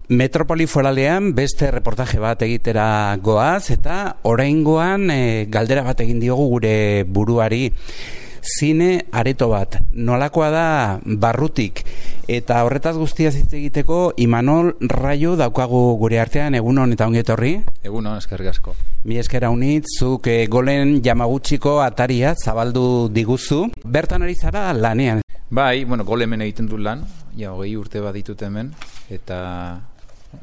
Metropoli Foralean beste reportaje bat egitera goaz eta oraingoan galdera bat egin diogu gure buruari. Zine areto bat, nolakoa da barrutik, eta horretaz guztiaz hitz egiteko Imanol Raio daukagu gure artean. Egunon eta ongi etorri. Egunon, eskerrik asko. Mi esker haunitz, zuk Golen Yamaguchiko ataria zabaldu diguzu. Bertan ari zara lanean. Bai, Gol hemen egiten du lan, 20 urte bat ditut hemen, eta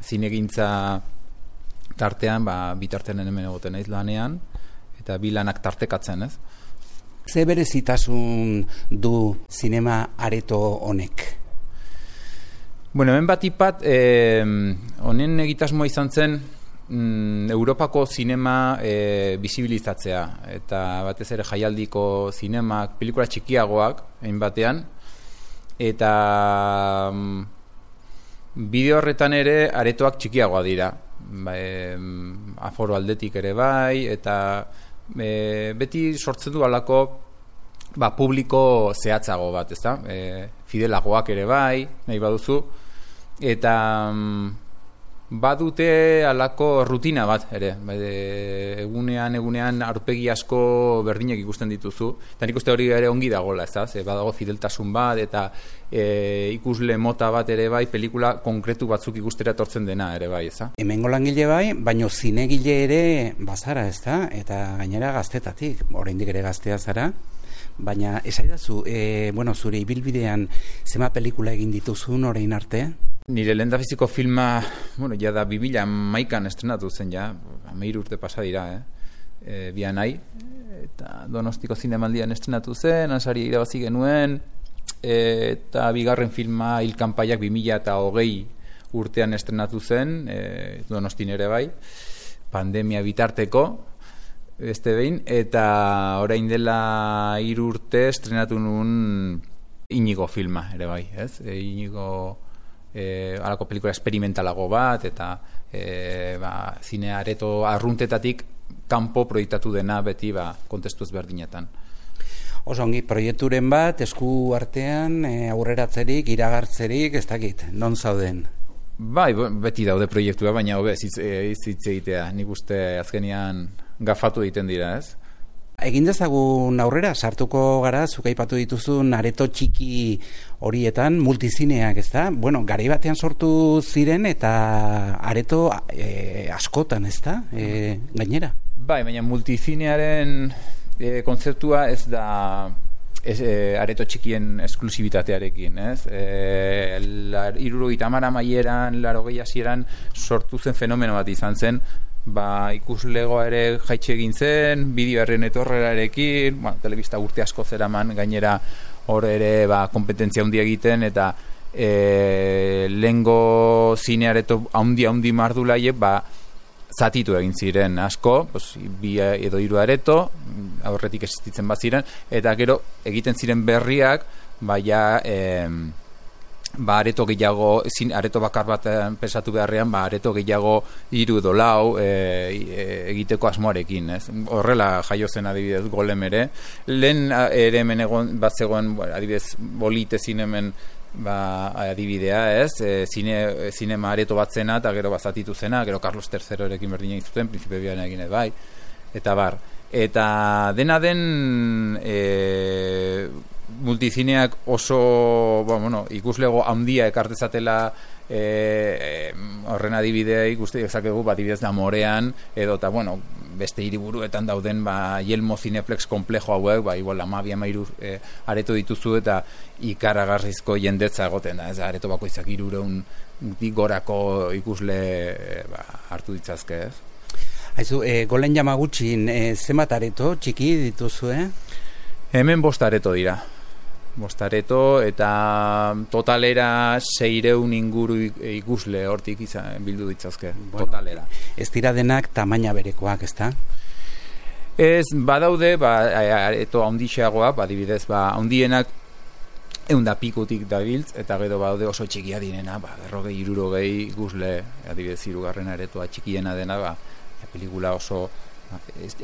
zinegintza tartean, bitartean hemen egoten naiz lanean, eta bi lanak tartekatzen, ez? Ze berezitasun du zinema areto honek? Hemen batipat, honen egitasmoa izan zen Europako zinema bisibilizatzea, eta batez ere jaialdiko zinemak, pelikula txikiagoak, egin batean, eta bideo horretan ere aretoak txikiagoa dira, aforo aldetik ere bai, eta beti sortzen du alako publiko zehatzago bat, ezta? Fidelagoak ere bai, nahi baduzu, eta badute alako rutina bat ere, egunean aurpegi asko berdinak ikusten dituzu, eta nik uste hori ere ongi dagoela, ezta? Badago fideltasun bat, eta ikusle mota bat ere bai, pelikula konkretu batzuk ikustera etortzen dena ere bai, ezta? Hemengo langile bai, baino zinegile ere bazara, ezta? Eta gainera gaztetatik, oraindik ere gaztea zara, baina esaidazu, zure ibilbidean zema pelikula egin dituzun orain arte? Nire lehendabiziko filma, ja da 2011an estrenatu zen, 13 urte pasa dira, Bianai, eta Donostiko Zinemaldian estrenatu zen, Ansari irabazi genuen, eta bigarren filma Hilkanpaiak 2020 urtean estrenatu zen, Donostin ere bai, pandemia bitarteko, beste behin, eta orain dela 3 urte estrenatu nuen Inigo filma ere bai, ez? Inigo halako pelikula experimentalago bat, eta zine areto arruntetatik kanpo proiektatu dena beti kontestu ezberdinetan. Oso ongi, proiekturen bat, esku artean, aurreratzerik, iragartzerik, ez dakit, non zauden? Bai, beti daude proiektua, baina hobe hitz egitea, nik uste azkenean gafatu egiten dira, ez? Egin dezagun aurrera, sartuko gara, zuk aipatu dituzun areto txiki horietan, multizineak, ezta? Garai batean sortu ziren eta areto askotan, ezta? Gainera? Bai, baina multizinearen kontzeptua ez da areto txikien esklusibitatearekin, ez? 70 amaieran, 80 hasieran sortu zen fenomeno bat izan zen, ikuslegoa ere jaitxe egin zen, bideoaren etorrerarekin, telebista urte asko zeraman, gainera hor ere kompetentzia handia egiten, eta lehengo zineareto handi mardulaiek zatitu egin ziren asko, 2 edo 3 areto, aurretik existitzen baziren, eta gero egiten ziren berriak, areto gehiago, areto bakar bat pensatu beharrean, areto gehiago 3 edo 4 egiteko asmoarekin, ez? Horrela jaio zen adibidez Golem ere. Lehen ere hemen bat zegoen, adibidez Bolite zinemen adibidea, ez? Zinema areto bat zena, eta gero bazatitu zena, gero Carlos III erekin berdina izuten, Príncipe Bian egin bai, eta bar. Eta dena den multizineak oso ikuslego handia ekartezatela horren adibidea ikuste ezakegu adibidez Amorean edo eta beste hiriburuetan dauden Yelmo Cineplex komplejo hauek igual 12-13 areto dituzu eta ikaragarrizko jendetza egoten da, ez areto bakoitzak 300 gorako ikusle hartu ditzazke, ez? Aizu, Golen Yamaguchin zenbat areto txiki dituzu, Hemen 5 areto dira. 5 areto eta totalera 600 inguru ikusle hortik bildu ditzazke, totalera. Ez dira denak tamaina berekoak, ezta? Ez, badaude, areto handixeagoak, adibidez, handienak 100 pikutik dabiltz, eta gero badaude oso txikia direna, 40-60 ikusle, adibidez 3. aretoa txikiena dena, pelikula oso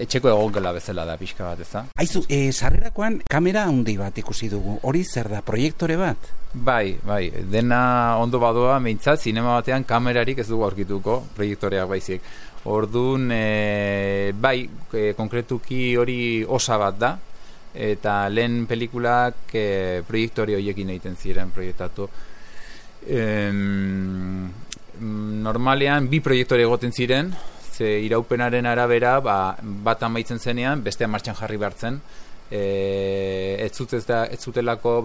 etxeko egongela bezala da pixka bat, ez da? Aizu, sarrerakoan kamera handi bat ikusi dugu, hori zer da, proiektore bat? Bai, dena ondo badoa, meintzat, zinema batean kamerarik ez dugu aurkituko, proiektoreak baizik. Orduan, konkretuki hori osa bat da, eta lehen pelikulak proiektore horiekin egiten ziren proiektatu. Normalean, 2 proiektore egoten ziren, ze iraupenaren arabera, bat amaitzen zenean, bestea martxan jarri behartzen, ez zutelako,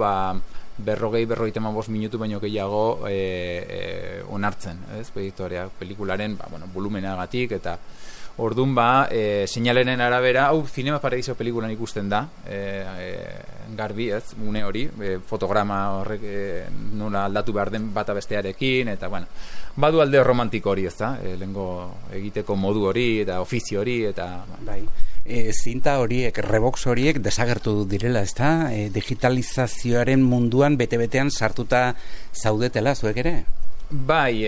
40-45 minutu baino gehiago onartzen, ez, proiektoreak, pelikularen, volumenagatik, eta orduan seinalenen arabera, Cinema Paradiso pelikulan ikusten da, garbi, ez, une hori, fotograma horrek nola aldatu behar den bata bestearekin, eta, badu alde romantiko hori, ez da, lehengo egiteko modu hori, eta ofizio hori, eta... Bai. Zinta horiek, rebox horiek desagertu direla, ez da? Digitalizazioaren munduan bete-betean sartuta zaudetela, zuek ere? Bai,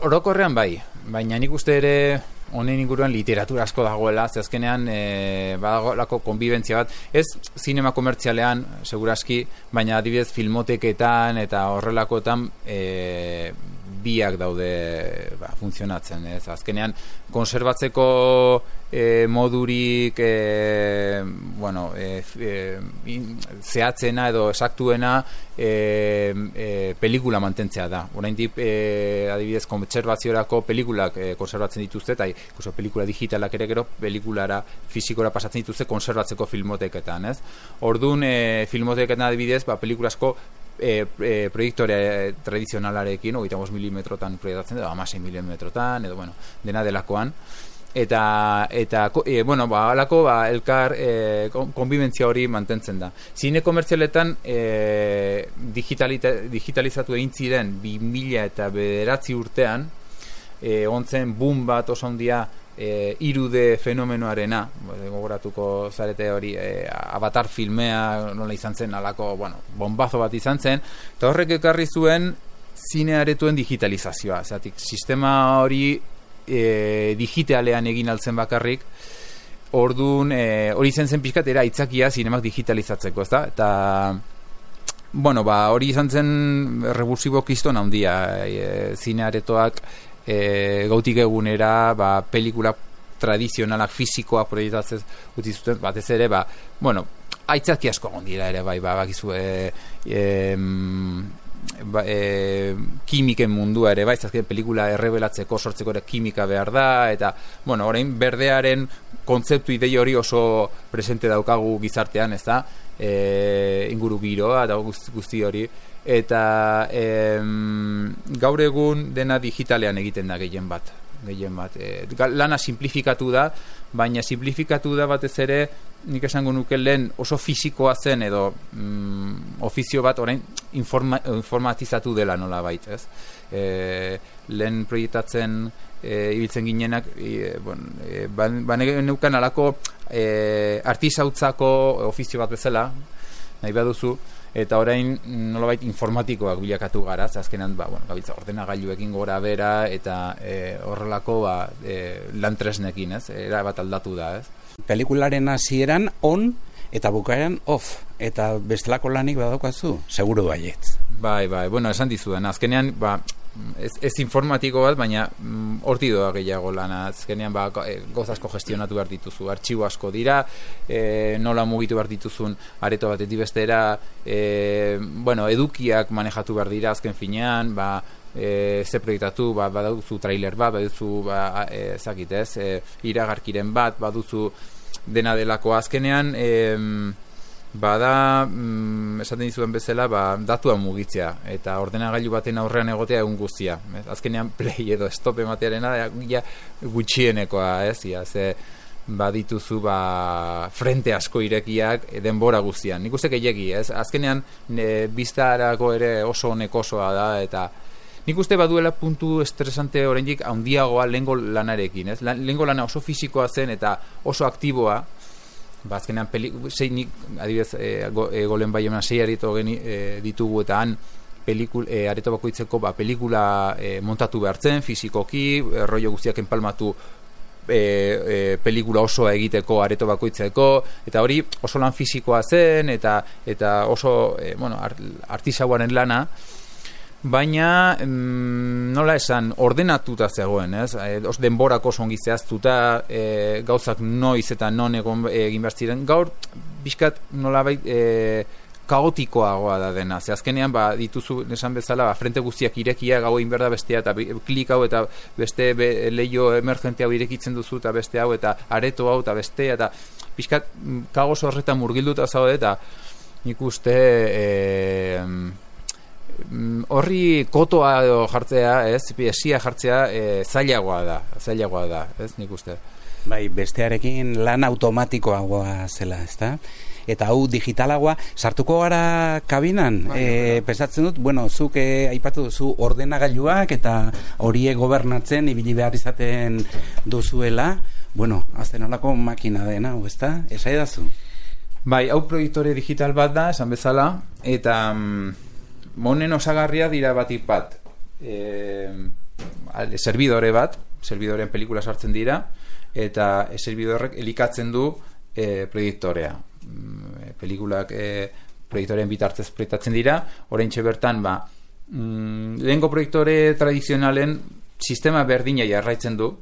orokorrean bai, baina nik uste ere honen inguruan literatura asko dagoela, ze azkenean badagoelako konbibentzia bat, ez zinema komertzialean, seguraski, baina adibidez filmoteketan eta horrelakoetan biak daude funtzionatzen, ez? Azkenean konserbatzeko modurik zehatzena edo esaktuena pelikula mantentzea da. Oraindik adibidez kontserbaziorako pelikulak konserbatzen dituzte, eta incluso pelikula digitalak ere gero pelikulara fisikora pasatzen dituzte konserbatzeko filmoteketan, ez? Orduan filmoteketan adibidez, pelikula asko proiektore tradizionalarekin 35 milimetrotan proiektatzen edo 16 milimetrotan edo dena delakoan eta alako elkar konbibentzia hori mantentzen da. Zine komertzialetan digitalizatu egin ziren 2009 urtean ontzen boom bat oso handia 3D fenomenoarena, gogoratuko zarete hori, Avatar filmea nola izan zen, alako, bombazo bat izan zen, eta horrek ekarri zuen zine aretuen digitalizazioa, zatik, sistema hori digitalean egin altzen bakarrik, orduan hori zen pixkatera aitzakia zinemak digitalizatzeko, ezta? Eta hori izan zen revulsibo kiston handia, zine aretoak gautik egunera pelikula tradizionalak fisikoak proiektatzen utzi zuten, batez ere aitzaki asko egon dira ere bakizu kimiken mundua ere azken pelikula errebelatzeko sortzeko ere kimika behar da, eta orain berdearen kontzeptu idei hori oso presente daukagu gizartean, ez da, inguru giroa eta guzti hori, eta gaur egun dena digitalean egiten da gehien bat. Lana simplifikatu da, baina simplifikatu da batez ere, nik esango nuke lehen oso fisikoa zen edo ofizio bat orain informatizatu dela nola bait, ez? Lehen proiektatzen ibiltzen ginenak, neukan alako artisautzako ofizio bat bezala, nahi baduzu, eta orain nolabait informatikoak bilakatu gara, azkenan gabiltza ordenagailuekin gora bera eta horrelako lan tresnekin, ez? Era bat aldatu da, ez? Pelikularen hasieran on eta bukaeran off, eta bestelako lanik badaukazu, seguru baietz. Bai, esan dizudan, azkenean ez informatiko bat, baina horti doa gehiago lana, azkenean goz asko gestionatu behar dituzu, artxibo asko dira, nola mugitu behar dituzun areto batetik bestera, edukiak manejatu behar dira azken finean, ze proiektatu, baduzu trailer bat, baduzu iragarkiren bat, baduzu dena delako azkenean, esaten dizuen bezala, datua mugitzea, eta ordenagailu baten aurrean egotea egun guztia. Azkenean play edo stop ematearena gutxienekoa, ze badituzu frente asko irekiak denbora guztian. Nik uste gehiagi, azkenean biztarako ere oso onekosoa da, eta nik uste baduela puntu estresante oraindik handiagoa lehengo lanarekin. Lehengo lana oso fisikoa zen eta oso aktiboa, azkenean adibidez golen bai eman 6 areto ditugu, eta han areto bakoitzeko pelikula montatu behar zen, fisikoki, rollo guztiak enpalmatu pelikula osoa egiteko, areto bakoitzeko, eta hori oso lan fisikoa zen, eta oso artisauaren lana, baina nola esan, ordenatuta zegoen, ez? Denborako songi zehaztuta, gauzak noiz eta non egin behar ziren. Gaur, bizkat nolabait kaotikoagoa da dena. Ze azkenean, dituzu, esan bezala, frente guztiak irekia, gau egin behar da bestea, eta klik hau, eta beste leio emergente hau irekitzen duzu, eta beste hau, eta areto hau, eta bestea, eta bizkat kaos horretan murgilduta zaude, eta nik uste horri kotoa jartzea, ez, esia jartzea zailagoa da, ez, nik uste. Bai, bestearekin lan automatikoagoa zela, ezta? Eta hau digitalagoa, sartuko gara kabinan, pensatzen dut, zuk aipatu duzu ordenagailuak eta horiek gobernatzen ibili behar izaten duzuela, azten olako makina dena, ezta? Esaidazu? Bai, hau proiektore digital bat da, esan bezala, eta monen osagarria dira batik bat, serbidoren pelikula sartzen dira, eta servidorrek elikatzen du proiektorea. Pelikulak proiektoren bitartez proiektatzen dira, oraintxe bertan lehengo proiektore tradizionalen sistema berdina jarraitzen du,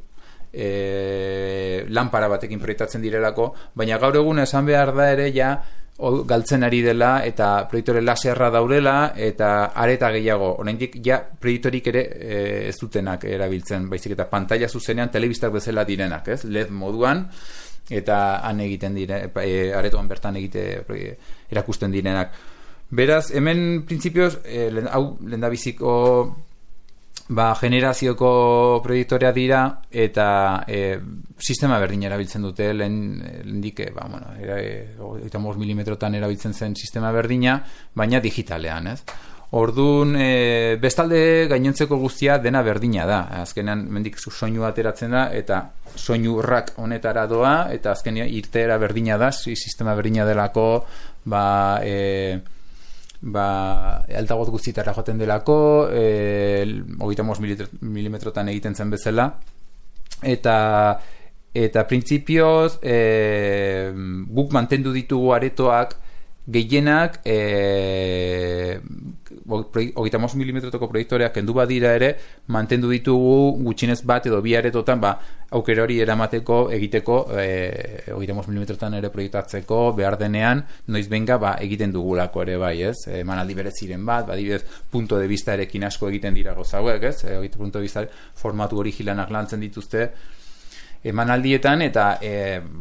lanpara batekin proiektatzen direlako, baina gaur egun esan behar da ere galtzen ari dela, eta proiektore laserra daudela, eta areta gehiago, oraindik proiektorik ere ez dutenak erabiltzen, baizik eta pantalla zuzenean telebistak bezala direnak, ez? LED moduan, eta han egiten dire, aretoan bertan erakusten direnak. Beraz, hemen printzipioz, hau lehendabiziko generazioko proiektorea dira, eta sistema berdin erabiltzen dute, lehendik 35 milimetrotan erabiltzen zen sistema berdina, baina digitalean, ez? Orduan, bestalde gainontzeko guztia dena berdina da. Azkenean, mendik soinu ateratzen da, eta soinu rak honetara doa, eta azkenean irteera berdina da, sistema berdina delako, altagot guztietara joaten delako, 35 milimetrotan egiten zen bezala, eta printzipioz guk mantendu ditugu aretoak gehienak 35 milimetrotako proiektoreak kendu badira ere, mantendu ditugu gutxinez bat edo bi aretotan aukera hori eramateko egiteko 35 milimetrotan ere proiektatzeko behar denean noiz benga egiten dugulako ere bai, ez? Emanaldi bereziren bat, adibidez punto de vista erekin asko egiten dira gozauek, ez? Punto de vista formatu origilanak lantzen dituzte emanaldietan, eta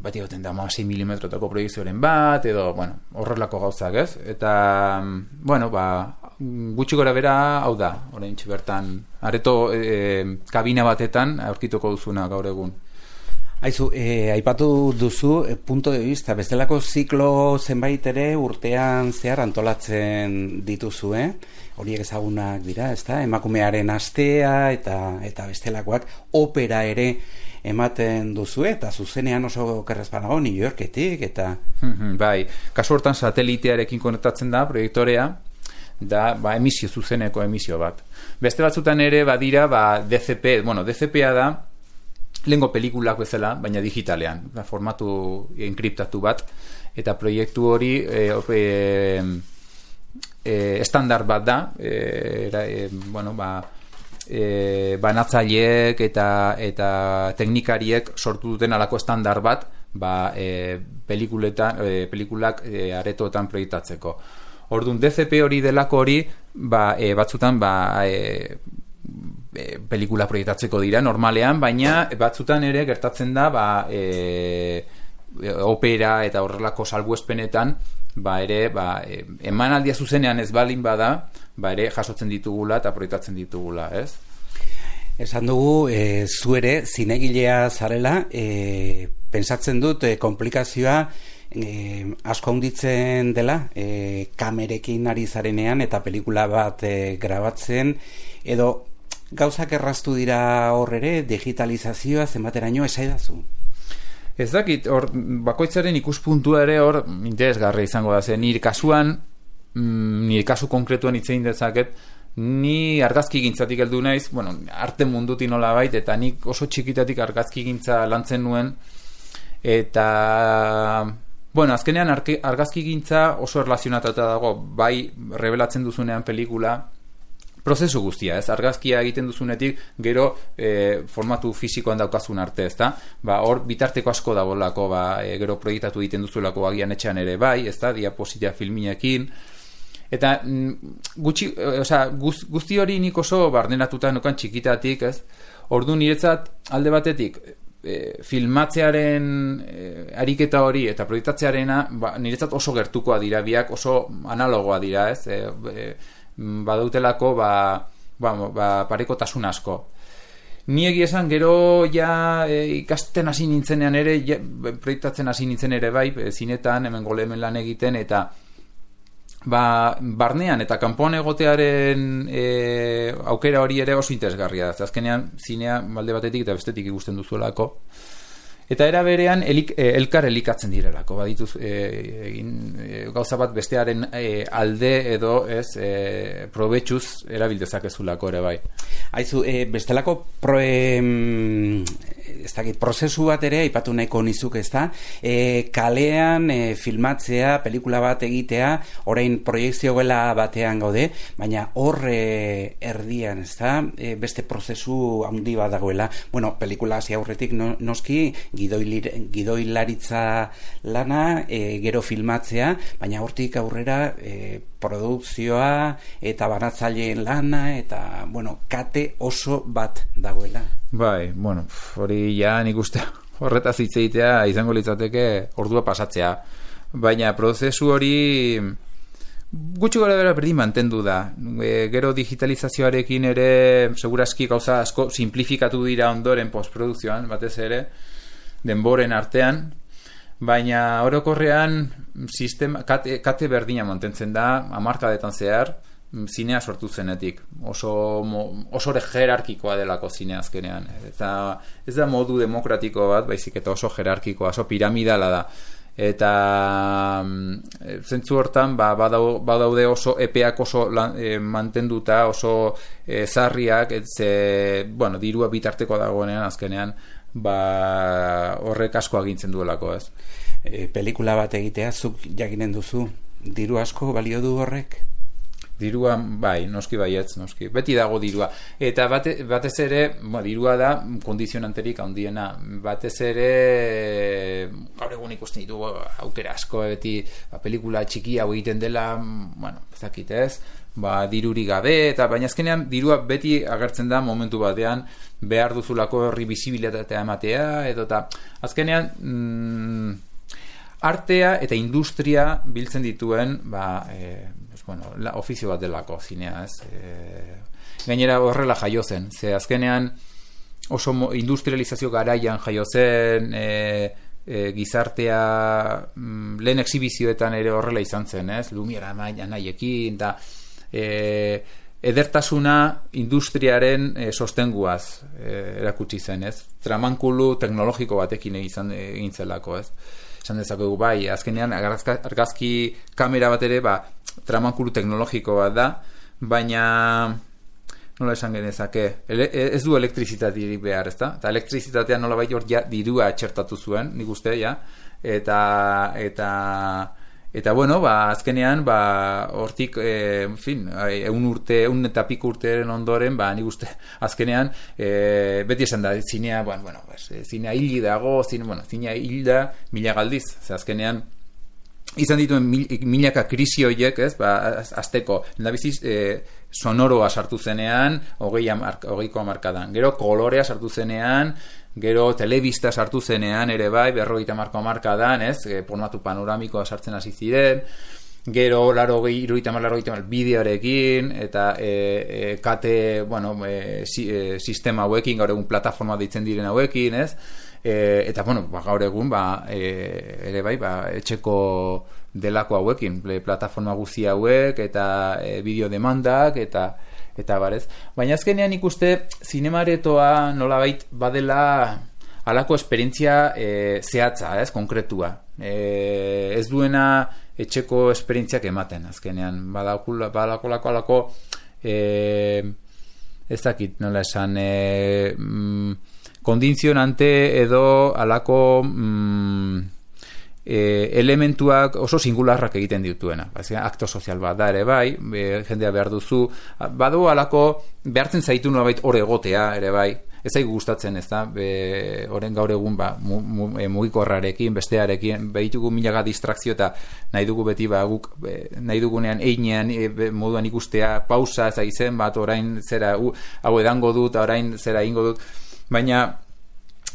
bat egoten da 6 milimetrotako proiekzioaren bat, edo, horrelako gauzak, ez? Eta, gutxi gora bera, hau da, oraintxe bertan, areto kabina batetan aurkituko duzuna gaur egun. Aizu, aipatu duzu, punto de vista, bestelako ziklo zenbait ere urtean zehar antolatzen dituzu, horiek ezagunak dira, ezta? Emakumearen astea eta bestelakoak, opera ere ematen duzu, eta zuzenean oso kerrezpanago New Yorketik, eta... Bai, kasu hortan satelitearekin konektatzen da, proiektorea, da, emisio, zuzeneko emisio bat. Beste batzutan ere, badira, DCP, DCP-a da, lehengo pelikulak bezala, baina digitalean, formatu enkriptatu bat, eta proiektu hori estandar bat da, banatzaileek eta teknikariek sortu duten alako estandar bat pelikulak aretoetan proiektatzeko. Orduan, DCP hori delako hori batzutan pelikula proiektatzeko dira normalean, baina batzutan ere gertatzen da opera eta horrelako salbuespenetan emanaldia zuzenean ez balin bada, ere jasotzen ditugula eta proiektatzen ditugula, ez? Esan dugu, zu ere zinegilea zarela, pentsatzen dut komplikazioa asko handitzen dela, kamerekin ari zarenean eta pelikula bat grabatzen, edo gauzak erraztu dira hor ere, digitalizazioa zenbateraino esaidazu? Ez dakit, bakoitzaren ikuspuntua ere hor interesgarria izango da, nire kasuan, nire kasu konkretuan hitz egin dezaket, ni argazki gintzatik heldu naiz, bueno, arte mundutik nolabait, eta nik oso txikitatik argazki gintza lantzen nuen, eta bueno, azkenean argazki gintza oso erlazionatuta dago, bai revelatzen duzunean pelikula, prozesu guztia, ez? Argazkia egiten duzunetik, gero formatu fisikoan daukazun arte, ezta? Hor bitarteko asko dagoelako, gero proiektatu egiten duzulako agian etxean ere bai, ezta? Diapositia filminekin, eta guzti hori nik oso barneratuta nukan txikitatik, ez? Ordu niretzat alde batetik filmatzearen ariketa hori eta proiektatzearena niretzat oso gertukoa dira, biak oso analogoa dira, ez? Badautelako parekotasun asko. Ni egia esan gero ja ikasten hasi nintzenean ere, proiektatzen hasi nintzen ere bai, zinetan, hemen gole hemen lan egiten, eta barnean eta kanpoan egotearen aukera hori ere oso interesgarria da. Azkenean zinea alde batetik eta bestetik ikusten duzuelako. Eta era berean elkar elikatzen direlako, badituz gauza bat bestearen alde edo probetxuz erabildezakezulako ere bai. Aizu, bestelako prozesu bat ere aipatu nahiko nizuk, ezta? Kalean filmatzea, pelikula bat egitea, orain proiekzio gela batean gaude, baina hor erdian, ezta? Beste prozesu handi bat dagoela. Bueno, pelikula hasi aurretik noski gidoilaritza lana, gero filmatzea, baina hortik aurrera produkzioa eta banatzaileen lana eta, bueno, kate oso bat dagoela. Bai, bueno, hori ja nik uste horretaz hitz egitea izango litzateke ordua pasatzea. Baina prozesu hori gutxi gora bera berdin mantendu da. Gero digitalizazioarekin ere segurazki gauza asko simplifikatu dira ondoren postprodukzioan, batez ere, denboren artean, baina orokorrean kate berdina mantentzen da, hamarkadetan zehar, zinea sortu zenetik. Oso jerarkikoa delako zinea azkenean. Eta ez da modu demokratiko bat, baizik eta oso jerarkikoa, oso piramidala da. Eta zentzu hortan badaude oso epeak oso mantenduta, oso zarriak, bueno, dirua bitarteko dagoenean azkenean, horrek asko agintzen duelako, ez? Pelikula bat egitea, zuk jakinen duzu, diru asko balio du horrek? Dirua, bai, noski baietz, noski. Beti dago dirua. Eta batez ere, dirua da kondizionanterik handiena. Batez ere, gaur egun ikusten ditu aukera asko, beti pelikula txiki hau egiten dela, bueno, ez dakit ez, diruri gabe, eta baina azkenean dirua beti agertzen da momentu batean behar duzulako horri bizibilitatea ematea, edo eta azkenean artea eta industria biltzen dituen ofizio bat delako zinea, ez? Gainera horrela jaio zen, ze azkenean oso industrializazio garaian jaio zen, gizartea lehen exhibizioetan ere horrela izan zen, ez? Lumiera nahiekin, eta edertasuna industriaren sostenguaz erakutsi zen, ez? Tramankulu teknologiko batekin egin zelako, ez? Esan dezakegu, bai, azkenean argazki kamera bat ere, tramankulu teknologiko bat da, baina nola esan genezake, ez du elektrizitaterik behar, ezta? Eta elektrizitatea nolabait hor dirua txertatu zuen, nik uste, ja, eta bueno, azkenean, hortik, en fin, eun eta piko urteren ondoren, nik uste, azkenean, beti esan da, zinea, zinea hili dago, zinea hil da mila galdiz, azkenean, izan dituen milaka krisi horiek, ez, azteko, lehendabiziz, sonoroa sartu zenean, 20ko hamarkadan, gero kolorea sartu zenean, gero telebista sartu zenean, ere bai, 50ko hamarkadan, ez, formatu panoramikoa sartzen hasi ziren, gero 80 bideoarekin, eta kate, sistema hauekin, gaur egun plataforma deitzen diren hauekin, ez, eta gaur egun ere bai etxeko delako hauekin, plataforma guzti hauek eta bideo demandak eta barez, baina azkenean ikuste zinemaretoa nolabait badela halako esperientzia zehatza, ez, konkretua, ez duena etxeko esperientziak ematen azkenean, badakolako ez dakit nola esan, kondizionante edo alako elementuak oso singularrak egiten dituena. Akto sozial bat da ere bai, jendea behar duzu, badu alako behartzen zaitu nolabait hor egotea ere bai, ez zaigu gustatzen, ez da, oren gaur egun mugikorrarekin, bestearekin, behitugu milaga distrakzio eta nahi dugu beti guk nahi dugunean einean moduan ikustea, pausa, ez izen bat, orain zera, hau edango dut, orain zera ingo dut, baina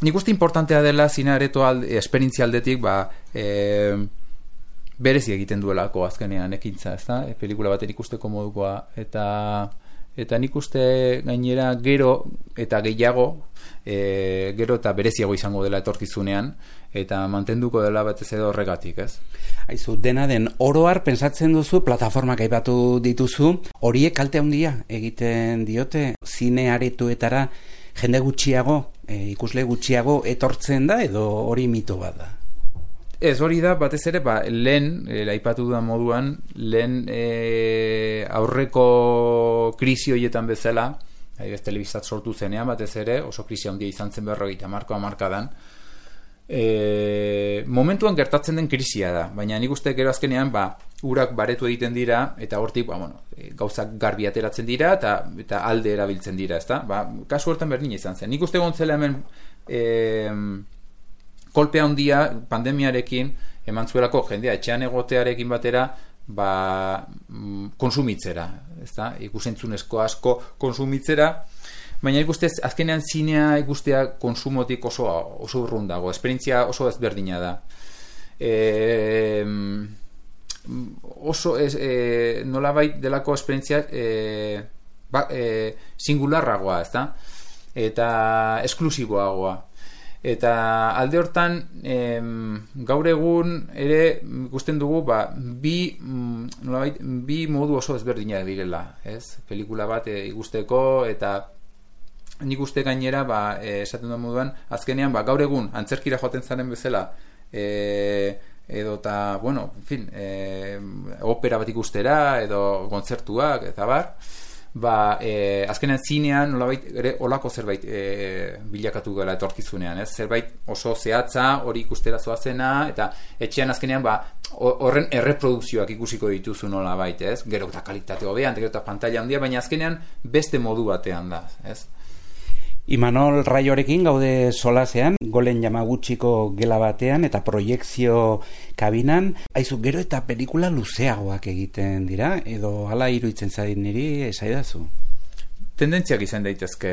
nik uste importantea dela zine areto esperientzialdetik berezi egiten duelako azkenean ekintza, ezta? Pelikula baten ikusteko modukoa eta nik uste gainera gero eta gehiago gero eta bereziago izango dela etorkizunean eta mantenduko dela batez edo horregatik, ez? Aizu, dena den oroar pentsatzen duzu, plataformak aipatu dituzu, horiek kalte handia egiten diote zine aretoetara jende gutxiago, ikusle gutxiago etortzen da edo hori mito bat da? Ez, hori da, batez ere, lehen, aipatu dudan moduan, lehen aurreko krisi horietan bezala, telebistat sortu zenean, batez ere, oso krisi handia izan zen 50 hamarkadan, momentuan gertatzen den krisia da, baina nik uste gero azkenean urak baretu egiten dira eta hortik gauzak garbi ateratzen dira eta alde erabiltzen dira, ezta? Kasu hortan berdin izan zen. Nik uste gontzela hemen kolpea handia pandemiarekin eman zuelako jendea etxean egotearekin batera konsumitzera, ezta? Ikusentzunezko asko konsumitzera. Baina ikuste azkenean zinea ikustea konsumotik oso urrun dago, esperientzia oso ezberdina da. Oso nolabait delako esperientzia singularragoa, ezta? Eta esklusiboagoa. Eta alde hortan gaur egun ere ikusten dugu bi modu oso ezberdinak direla, ez? Pelikula bat ikusteko eta nik uste gainera esaten da moduan azkenean gaur egun antzerkira joaten zaren bezala edo eta opera bat ikustera edo kontzertuak eta azkenean zinean nolabait ere olako zerbait bilakatu gela etorkizunean, ez? Zerbait oso zehatza hori ikustera zoazena eta etxean azkenean horren erreprodukzioak ikusiko dituzu nolabait, ez? Gero eta kalitate hobean, gero eta pantalla handia, baina azkenean beste modu batean da, ez? Imanol Raiorekin gaude solasean, Golen Yamaguchiko gela batean eta proiekzio kabinan. Aizu, gero eta pelikula luzeagoak egiten dira, edo hala iruditzen zait niri esaidazu? Tendentziak izan daitezke.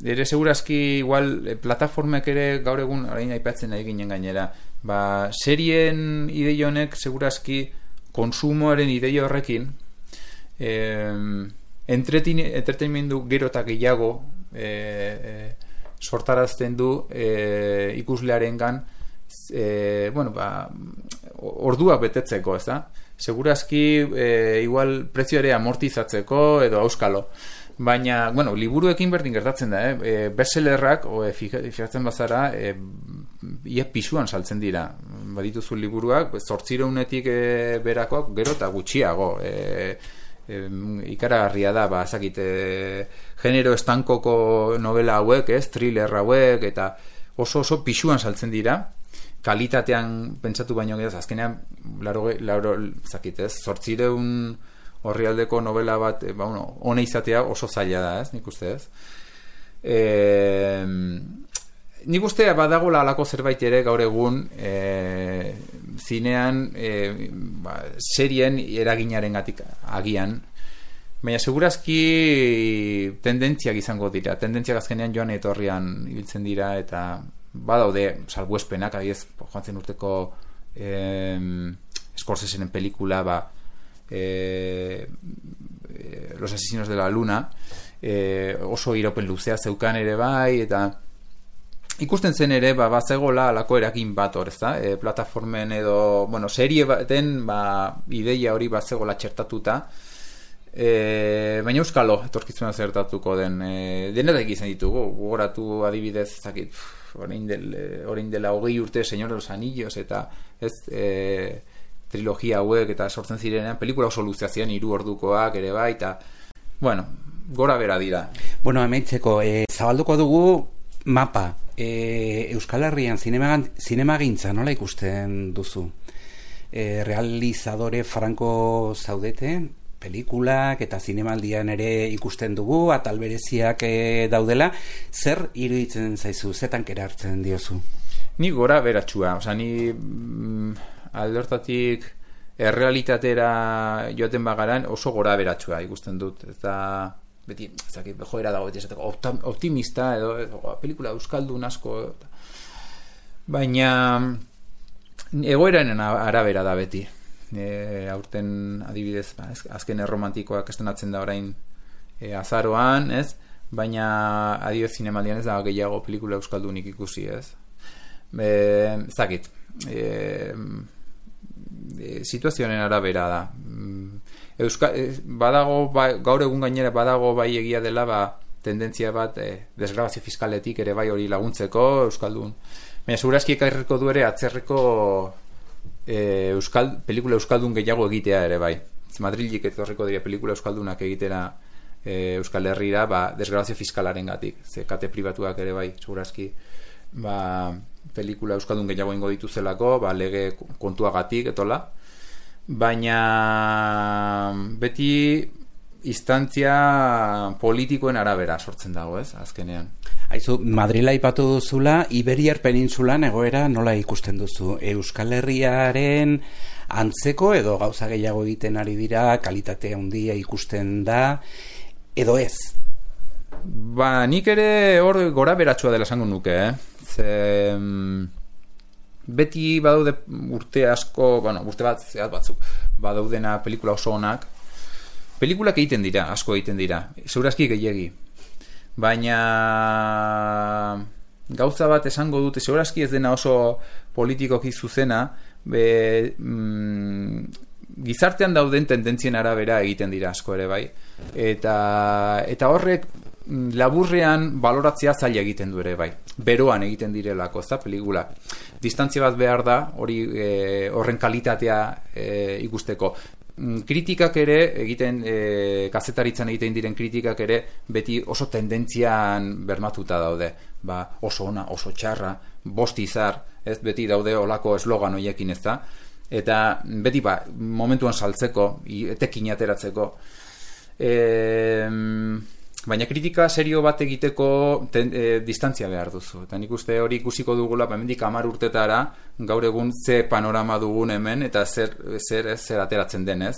Ere segurazki igual plataformek ere gaur egun orain aipatzen nahi ginen gainera. Serien ideia honek segurazki konsumoaren ideia horrekin entretenimendu gero eta gehiago sortarazten du ikuslearengan orduak betetzeko, ez da? Segurazki igual prezio ere amortizatzeko edo auskalo. Baina, liburuekin berdin gertatzen da, bestsellerrak, fijatzen bazara, ia pisuan saltzen dira. Badituzu liburuak, 800-etik berakoak, gero eta gutxiago. Ikaragarria da, genero estankoko novela hauek, thriller hauek, eta oso pisuan saltzen dira. Kalitatean pentsatu baino gehiago, azkenean, 800 horrialdeko novela bat, hone izatea oso zaila da, nik uste ez. Nik uste badagola alako zerbait ere gaur egun zinean serien eraginaren gatik agian, baina segurazki tendentziak izango dira, tendentziak azkenean joan etorrian ibiltzen dira eta badaude salbuespenak, adiez, joan zen urteko Scorsesenen pelikula Los asesinos de la luna oso iraupen luzea zeukan ere bai, eta ikusten zen ere bazegola alako eragin bat hor, ezta? Plataformen edo, serie baten ideia hori bazegola txertatuta, baina euskalo etorkizuna zertatuko den denetak izan ditugu, gogoratu adibidez orain dela 20 urte Señor de los Anillos eta trilogia hauek eta sortzen zirenean pelikula oso luzea ziren 3 ordukoak ere bai, eta gora bera dira. Bueno, amaitzeko, zabalduko dugu mapa. Euskal Herrian zinemagintza nola ikusten duzu? Realizadore franko zaudete, pelikulak eta zinemaldian ere ikusten dugu, atal bereziak daudela, zer iruditzen zaizu, zetan kera hartzen diozu? Ni gora beratxua, ni alde hortatik errealitatera joaten bagaran oso gora beratxua ikusten dut, eta beti, joera dago, beti esateko optimista edo pelikula euskaldun asko, baina egoeraren arabera da beti. Aurten adibidez, azken erromantikoak estrenatzen da orain azaroan, ez? Baina adibidez zinemaldian ez da gehiago pelikula euskaldunik ikusi, ez? Zakit, situazioaren arabera da. Badago, gaur egun gainera badago bai egia dela tendentzia bat desgrabazio fiskaletik ere bai hori laguntzeko euskaldun. Baina segurazki ekarriko du ere atzerreko pelikula euskaldun gehiago egitea ere bai. Madrilik etorriko dira pelikula euskaldunak egitera Euskal Herrira desgrabazio fiskalaren gatik. Ze kate pribatuak ere bai, segurazki pelikula euskaldun gehiago ingo dituzelako, lege kontuagatik etola. Baina beti instantzia politikoen arabera sortzen dago, ez, azkenean. Aizu, Madrila aipatu duzula, Iberiar penintsulan egoera nola ikusten duzu? Euskal Herriaren antzeko edo gauza gehiago egiten ari dira, kalitatea handia ikusten da, edo ez? Nik ere hor gora beratxua dela esango nuke, beti badaude urte asko, urte bat, zehat batzuk, badaudena pelikula oso onak. Pelikulak egiten dira, asko egiten dira, segurazki gehiegi. Baina gauza bat esango dute, segurazki ez dena oso politikoki zuzena, gizartean dauden tendentzien arabera egiten dira asko ere bai. Eta horrek laburrean baloratzea zaila egiten du ere bai. Beroan egiten direlako, ez da, pelikula. Distantzia bat behar da, horren kalitatea ikusteko. Kritikak ere, kazetaritzan egiten diren kritikak ere, beti oso tendentzian bermatuta daude. Oso ona, oso txarra, bost izar, ez, beti daude olako eslogan hoiekin, ez da. Eta beti momentuan saltzeko, etekin ateratzeko. Baina kritika serio bat egiteko distantzia behar duzu. Eta nik uste hori ikusiko dugula, hemendik 10 urtetara, gaur egun ze panorama dugun hemen, eta zer ateratzen denez.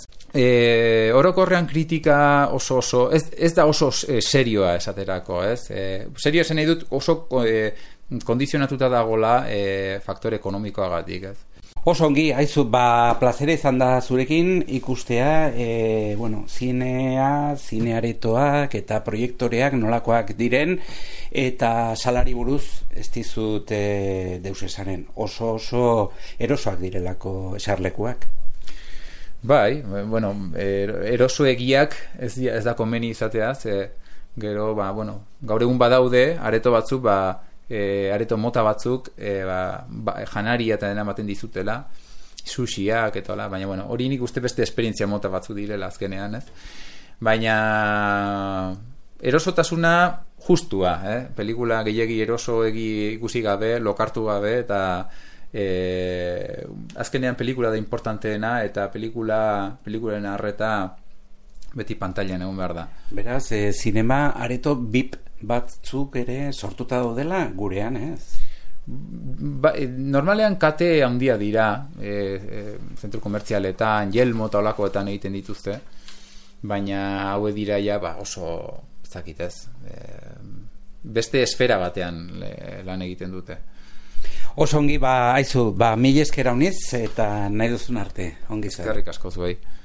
Orokorrean kritika oso, ez da oso serioa esaterako, ez? Serio esan nahi dut oso kondizionatuta dagola faktore ekonomikoagatik, ez? Oso ongi, haizu, plazera izan da zurekin ikustea, zinearetoak eta proiektoreak nolakoak diren, eta salari buruz ez dizut deus esanen, oso erosoak direlako esarlekuak. Bai, erosoegiak ez da komeni izatea, gero, gaur egun badaude, areto batzuk, areto mota batzuk janaria eta dena ematen dizutela, sushiak eta baina hori nik uste beste esperientzia mota batzuk direla azkenean, ez? Baina erosotasuna justua, pelikula gehiegi erosoegi ikusi gabe, lokartu gabe, eta azkenean pelikula da importanteena, eta pelikularen arreta beti pantailan egon behar da. Beraz, zinema areto BIP batzuk ere sortuta daudela gurean, ez? Normalean kate handia dira, zentru komertzialetan, Yelmo eta olakoetan egiten dituzte, baina haue dira oso zakitez, beste esfera batean lan egiten dute. Oso ongi, haizu, mila esker hauniz eta nahi duzun arte, ongi zer. Eskerrik asko zuei.